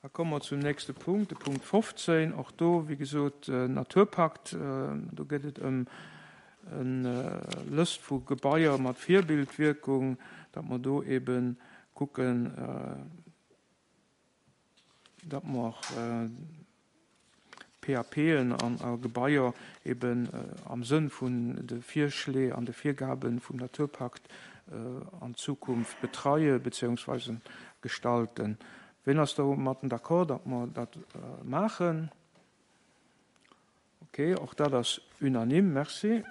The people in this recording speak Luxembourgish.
Da komme mer zum nächste Punkt, de Punkt 15. Och do, wéi gesot, Naturpakt. Do geet et ëm eng Lëscht vu Gebaier mat Virbildwierkung, datt mer do eebe kucken, datt mer PAPen an a Gebaier eben am Sënn vun de Virschlee an de Virgabe vum Naturpakt an Zukunft betreie beziehungsweise gestalten. Ween ass domatten d'accord, datt mer dat maachen? Okay, och dat ass unanime. Merci.